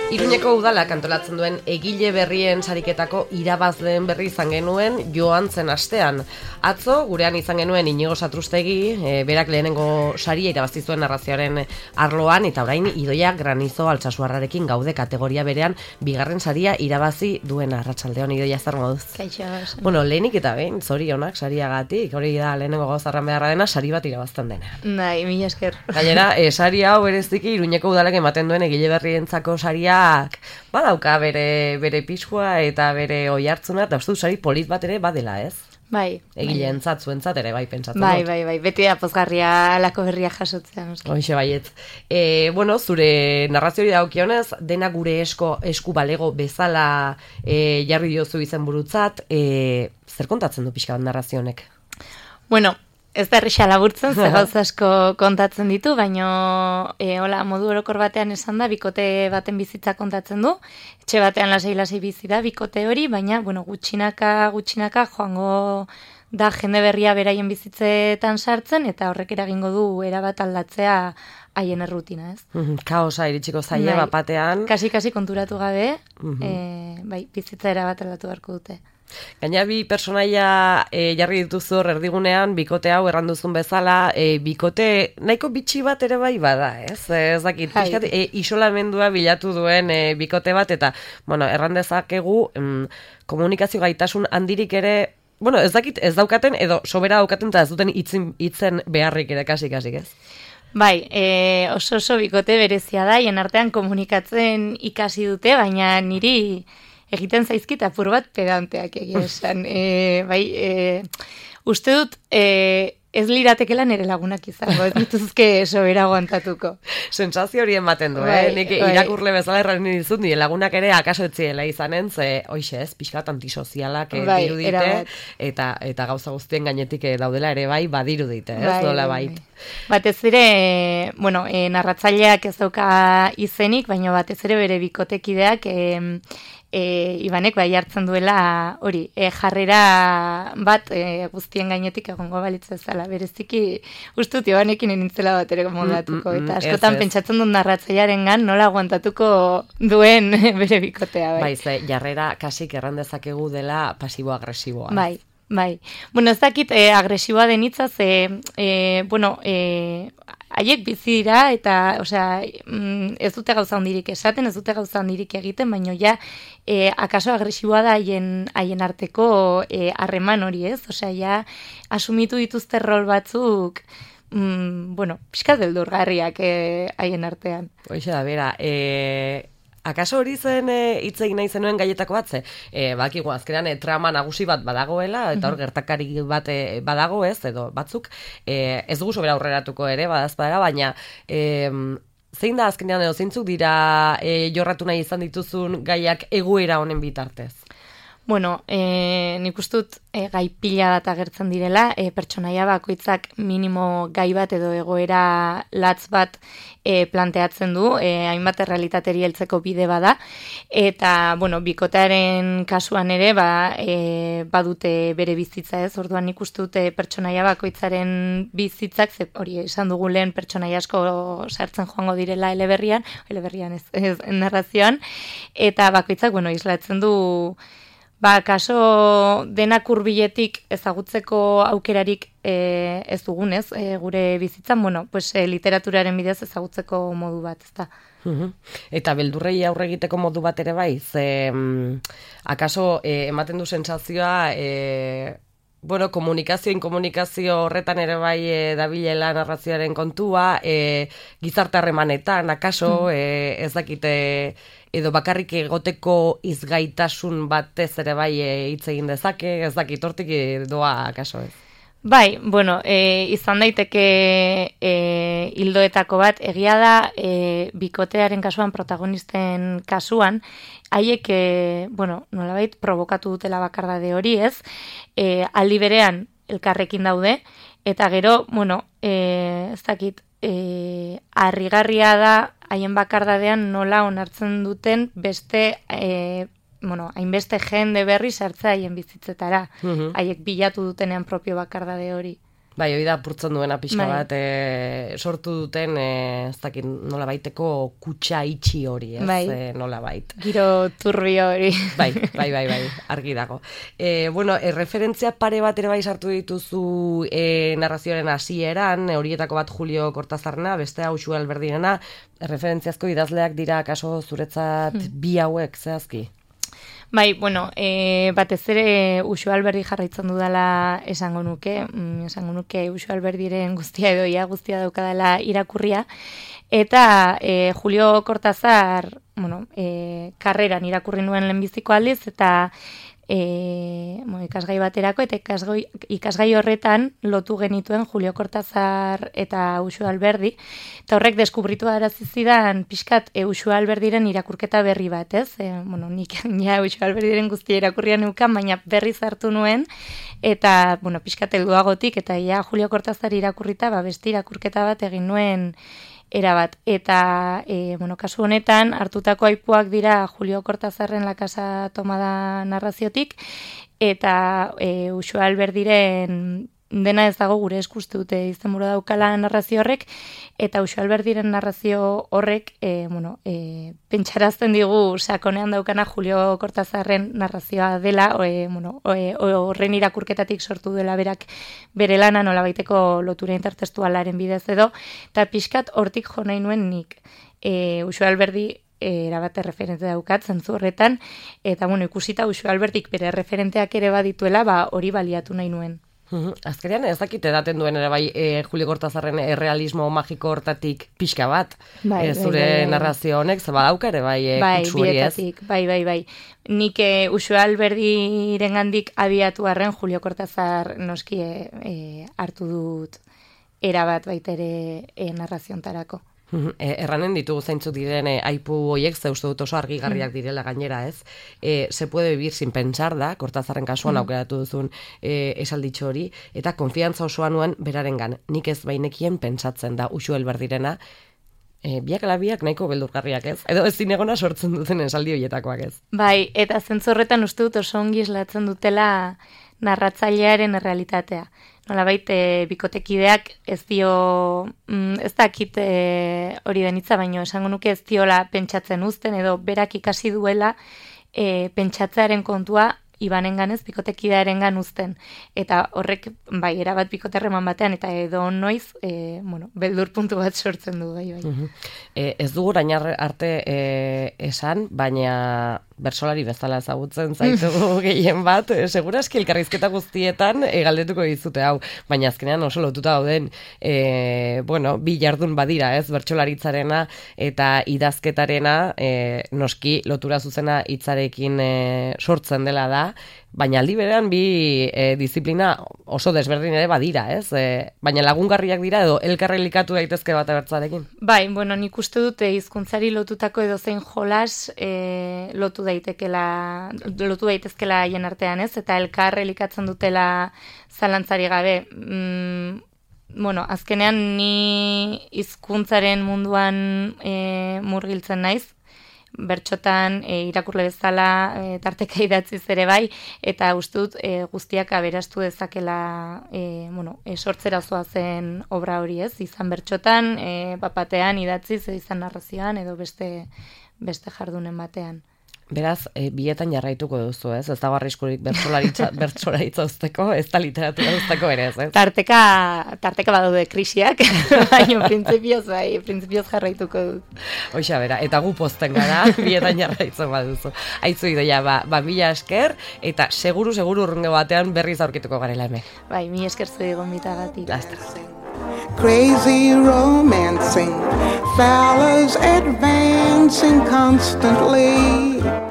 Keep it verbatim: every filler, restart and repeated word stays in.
Iruñeko udalak antolatzen duen egile berrien sariketako irabazleen berri izan genuen joan zen astean. Atzo, gurean izan genuen Inigo Satrustegi, e, berak lehenengo saria irabazi zuen narrazioaren arloan, eta orain Idoia Granizo Altsasuarrarekin gaude kategoria berean bigarren saria irabazi duen. Arratsaldeon, Idoia, zer moduz? Kaixo. Bueno, lehenik eta behin, zorionak sariagatik, hori da lehenengo gauzarran beharra dena, sari bat irabazten dena. Bai, mila esker. Gainera, e, sari hau bereziki Iruñeko udalak ematen duen egile berrientzako saria badauka bere bere piskua eta bere oihartzuna, eta uste du sari polit bat ere badela, ez? Bai. Egileentzat, zuentzat ere bai pentsatzen bai, dut. Bai, bai, beti da pozgarria alako berria jasotzea. Hoxe baiet. E, bueno, zure narrazioari dagokionez, dena gure esko, esku balego bezala e, jarri diozu izenburutzat, e, zer kontatzen du pixka bat narrazionek? Bueno, ez da erresa laburtzen, ze gauza asko kontatzen ditu, baina e, hola, modu orokor batean esan da, bikote baten bizitza kontatzen du, etxe batean lasai-lasai bizi da, bikote hori, baina, bueno, gutxinaka, gutxinaka, joango da jende berria beraien bizitzetan sartzen, eta horrek eragingo du erabat aldatzea haien errutina, ez? Kaosa iritsiko zaila bai, batean. Kasi-kasi konturatu gabe, uh-huh. e, bai, bizitza erabat aldatu beharko dute. Gaina bi personaia e, jarri dituzu hor erdigunean, bikote hau erranduzun bezala, e, bikote nahiko bitxi bat ere bai bada, ez? Ez dakit, pixkat, e, isolamendua bilatu duen e, bikote bat, eta, bueno, errandezakegu mm, komunikazio gaitasun handirik ere, bueno, ez dakit, ez daukaten, edo sobera daukaten, eta ez duten itzen, itzen beharrik ere kasik-kasik, ez? Bai, e, oso oso bikote berezia da, hien artean komunikatzen ikasi dute, baina niri egiten zaizkit apur bat pedanteak egia esan. E, bai, e, uste dut e, ez liratekela nire lagunak izango, ez dituzke sobera aguantatuko. Sentsazio hori ematen du, bai, eh? Nik bai. irakurle bezala erran dizut, nire lagunak ere akaso etziela izanen, ze, hoixe ez, pixkat antisozialak eh, bai, dirudite, eta, eta gauza guztien gainetik daudela ere bai, badirudite, ez, bai, dola bai. Batez ere, bueno, e, narratzaileak ez dauka izenik, baina batez ere bere bikotekideak e, e, Ibanek bai hartzen duela hori, e, jarrera bat e, guztien gainetik egongo balitz bezala. Bereziki, ustut Ibanekin enintzela bat ere moldatuko, mm, mm, eta askotan ez, ez. pentsatzen dut narratzailearen gan nola aguantatuko duen bere bikotea. Bai, bai ze, jarrera kasik erran dezakegu dela pasibo-agresiboa. Bai. Bai, bueno, ez dakit eh, agresiboa den hitza, ze, eh, bueno, eh, haiek bizi dira, eta, osea, mm, ez dute gauza handirik esaten, ez dute gauza handirik egiten, baina ja, eh, akaso agresiboa da haien haien arteko harreman eh, hori, ez? Osea, ja, asumitu dituzte rol batzuk, mm, bueno, pixkat beldurgarriak eh, haien artean. Hoxe da, bera, eh... Akaso hori zen hitz egin nahi zenuen gaietako bat, ze, e, bakigu azkenean e, trama nagusi bat badagoela, eta hor gertakari bat e, badago ez, edo batzuk, e, ez dugu sobera aurreratuko ere, badazpadera, baina e, zein da azkenean edo zeintzuk dira e, jorratu nahi izan dituzun gaiak egoera honen bitartez? Bueno, e, nik ustut e, gai pila bat agertzen direla, e, pertsonaia bakoitzak minimo gai bat edo egoera latz bat e, planteatzen du, e, hainbat errealitateri heltzeko bide bada, eta, bueno, bikotearen kasuan ere, ba, e, badute bere bizitza ez, orduan nik uste dute pertsonaia bakoitzaren bizitzak, ze, hori esan dugu lehen pertsonaia asko sartzen joango direla eleberrian, eleberrian ez, ez narrazioan, eta bakoitzak, bueno, islatzen du ba, kaso denak hurbiletik ezagutzeko aukerarik e, ez dugunez, e, gure bizitzan, bueno, pues, e, literaturaren bidez ezagutzeko modu bat, ez da. Uhum. Eta beldurrei aurre egiteko modu bat ere bai, ze, mm, akaso e, ematen du sentsazioa, e, bueno, komunikazio, inkomunikazio horretan ere bai e, dabilela narrazioaren kontua, e, gizarte harremanetan, akaso, mm. e, ez dakite, edo bakarrik egoteko izgaitasun batez ere bai hitz egin dezake, ez dakit hortik doa akaso ez. Bai, bueno, e, izan daiteke e, hildoetako bat, egia da e, bikotearen kasuan, protagonisten kasuan, haiek, e, bueno, nolabait provokatu dutela bakardade hori ez, e, aldi berean elkarrekin daude, eta gero, bueno, e, ez dakit, e, harrigarria da haien bakardadean nola onartzen duten beste, e, bueno, hainbeste jende berri sartzea haien bizitzetara, haiek uh-huh. bilatu dutenean propio bakardade hori. Bai, hori da apurtzen duena pixka Bai. bat, e, sortu duten, e, ez dakit nola baiteko kutsa itxi hori, ez, Bai. e, nola bait. Giro turbio hori. Bai, bai, bai, bai, argi dago. E, bueno, e, referentzia pare bat ere bai sartu dituzu e, narrazioaren hasieran, e, horietako bat Julio Cortazarna, bestea Uxue Alberdirena, referentziazko idazleak dira kaso zuretzat hmm. bi hauek, zehazki? Bai, bueno, e, batez ere Uxue Alberdi jarraitzen dudala esango nuke, mm, esango nuke Uxue Alberdiren guztia edo ia guztia daukadala irakurria, eta e, Julio Cortazar, bueno, e, karreran irakurri nuen lehenbiziko aldiz, eta E, bueno, ikasgai baterako, eta ikasgai, ikasgai horretan lotu genituen Julio Cortazar eta Uxue Alberdi, eta horrek deskubritu arazi zidan pixkat e, Uxue Alberdiren irakurketa berri bat, ez? E, bueno, nik ja Uxue Alberdiren guztia irakurria neukan, baina berri zartu nuen, eta, bueno, pixkat helduagotik, eta ja Julio Cortazar irakurrita, ba, beste irakurketa bat egin nuen erabat. Eta, e, bueno, kasu honetan, hartutako aipuak dira Julio Cortazarren La Casa Tomada narraziotik, eta e, Uxue Alberdiren dena ez dago gure eskuste dute izenburu daukala narrazio horrek, eta Uxue Alberdiren narrazio horrek, e, bueno, e, pentsarazten digu sakonean daukana Julio Cortazarren narrazioa dela, e, bueno, e, horren irakurketatik sortu dela berak bere lana nolabaiteko lotura intertestualaren bidez edo, eta pixkat hortik jo nahi nuen nik. E, Uxue Alberdi erabate referente daukat zentzu horretan, eta bueno, ikusita Uxue Alberdik bere referenteak ere badituela, ba hori baliatu nahi nuen. Azkenean ez dakit edaten duen ere bai e, Julio Cortazarren errealismo magiko hortatik pixka bat, bai, e, zure bai, bai, narrazio honek, ze badauka ere bai e, bai, kutsu hori ez? Bai, bai, bai. Nik e, Uxue Alberdiren gandik abiatu arren Julio Cortazar noski e, e, hartu dut erabat baitere e, narraziontarako. E, erranen ditugu zeintzuk diren e, aipu hoiek, ze uste dut oso argigarriak direla gainera, ez? E, se puede vivir sin pensar da, Cortazarren kasuan mm. aukeratu duzun e, esalditxo hori, eta konfiantza osoa nuen berarengan, nik ez bainekien pentsatzen da Uxue Alberdirena, e, biak ala biak nahiko beldurgarriak ez? Edo ez zinegona sortzen duten esaldi horietakoak ez? Bai, eta zentzu horretan uste dut oso ongi islatzen dutela narratzailearen errealitatea. Nolabait, e, bikotekideak ez dio, mm, ez dakit e, hori denitza, baino esango nuke ez diola pentsatzen uzten, edo berak ikasi duela e, pentsatzearen kontua ibanenganez bikotekidearengan uzten. Eta horrek, bai, erabat bikoterreman batean, eta edo noiz, e, bueno, beldur puntu bat sortzen du, bai, bai. Uh-huh. e, ez dugu rainar arte e, esan, baina bersolari bezala ezagutzen zaitugu gehien bat, e, seguraski elkarrizketa guztietan e, galdetuko dizute hau, baina azkenean oso lotuta dauden e, bueno, bi jardun badira, ez, bertsolaritzarena eta idazketarena, e, noski lotura zuzena hitzarekin e, sortzen dela da, baina aldi berean bi e, disiplina oso desberdin ere badira, ez? E, baina lagungarriak dira edo elkarrelikatu daitezke bat abertzarekin. Bai, bueno, nik uste dute hizkuntzari lotutako edo zein jolas e, lotu daitekela, lotu daitezkela haien artean, ez? Eta elkar elikatzen dutela zalantzari gabe. Mm, bueno, azkenean ni hizkuntzaren munduan e, murgiltzen naiz, bertxotan e, irakurle bezala e, tarteka idatziz ere bai, eta uste dut e, guztiak aberastu dezakela e, bueno, e, sortzera zoazen obra hori ez, izan bertxotan, e, bapatean idatziz, izan narrazioan, edo beste, beste jardunen batean. Beraz, e, bietan jarraituko duzu, ez? Ez dago arriskurik bertsolaritza bertsolaritza uzteko, ez da literatura uzteko ere, ez? Tarteka, tarteka badaude krisiak, baina printzipioz bai, printzipioz jarraituko dut. Hoxa bera, eta gu pozten gara, bietan jarraitzen baduzu. Aitzu idoia, ba, ba mila esker, eta seguru, seguru urrungo batean berriz aurkituko garela hemen. Bai, mila esker zuen gombitagatik. Lastra. Crazy romancing, fellas advancing constantly.